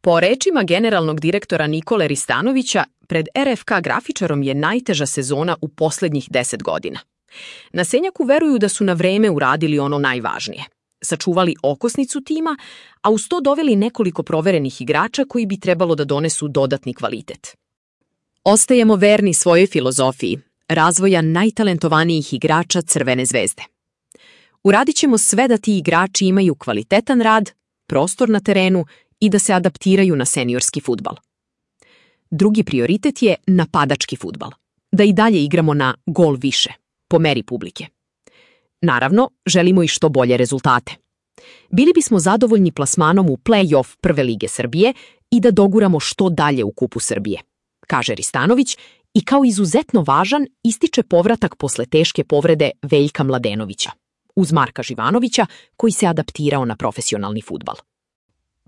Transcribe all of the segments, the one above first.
Po rečima generalnog direktora Nikole Ristanovića, pred RFK grafičarom je najteža sezona u poslednjih 10 godina. Na Senjaku veruju da su na vreme uradili ono najvažnije. Sačuvali okosnicu tima, a uz to doveli nekoliko proverenih igrača koji bi trebalo da donesu dodatni kvalitet. Ostajemo verni svojoj filozofiji, razvoja najtalentovanijih igrača Crvene zvezde. Uradit ćemo sve da ti igrači imaju kvalitetan rad, prostor na terenu i da se adaptiraju na seniorski fudbal. Drugi prioritet je napadački fudbal. Da i dalje igramo na gol više, po meri publike. Naravno, želimo i što bolje rezultate. Bili bismo zadovoljni plasmanom u play-off Prve lige Srbije i da doguramo što dalje u Kupu Srbije, kaže Ristanović i kao izuzetno važan ističe povratak posle teške povrede Veljka Mladenovića, uz Marka Živanovića koji se adaptirao na profesionalni fudbal.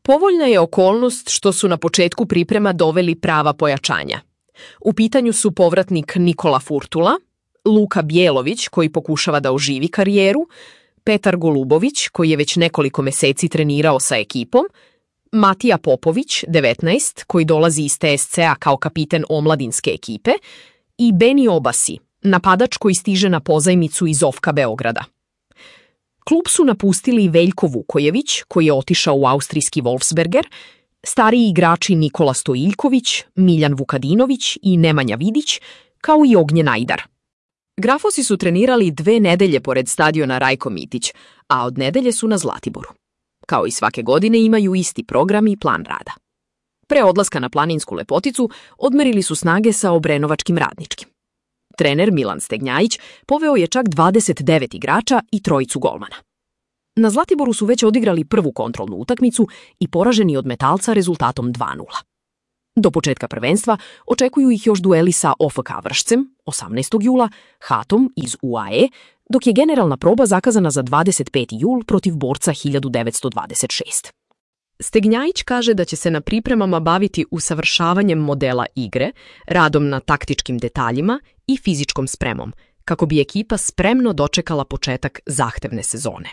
Povoljna je okolnost što su na početku priprema doveli prava pojačanja. U pitanju su povratnik Nikola Furtula, Luka Bjelović koji pokušava da oživi karijeru, Petar Golubović koji je već nekoliko meseci trenirao sa ekipom, Matija Popović, 19, koji dolazi iz TSC-a kao kapiten omladinske ekipe i Beni Obasi, napadač koji stiže na pozajmicu iz OFK-a Beograda. Klub su napustili Veljko Vukojević, koji je otišao u austrijski Wolfsberger, stariji igrači Nikola Stojiljković, Miljan Vukadinović i Nemanja Vidić, kao i Ognjen Ajdar. Grafosi su trenirali 2 nedelje pored stadiona Rajko Mitić, a od nedelje su na Zlatiboru. Kao i svake godine imaju isti program i plan rada. Pre odlaska na planinsku lepoticu odmerili su snage sa obrenovačkim Radničkim. Trener Milan Stegnjajić poveo je čak 29 igrača i 3 golmana. Na Zlatiboru su već odigrali prvu kontrolnu utakmicu i poraženi od Metalca rezultatom 2:0. Do početka prvenstva očekuju ih još dueli sa OFK Vršcem 18. jula, Hatom iz UAE, dok je generalna proba zakazana za 25. jul protiv Borca 1926. Stegnjajić kaže da će se na pripremama baviti usavršavanjem modela igre, radom na taktičkim detaljima i fizičkom spremom, kako bi ekipa spremno dočekala početak zahtevne sezone.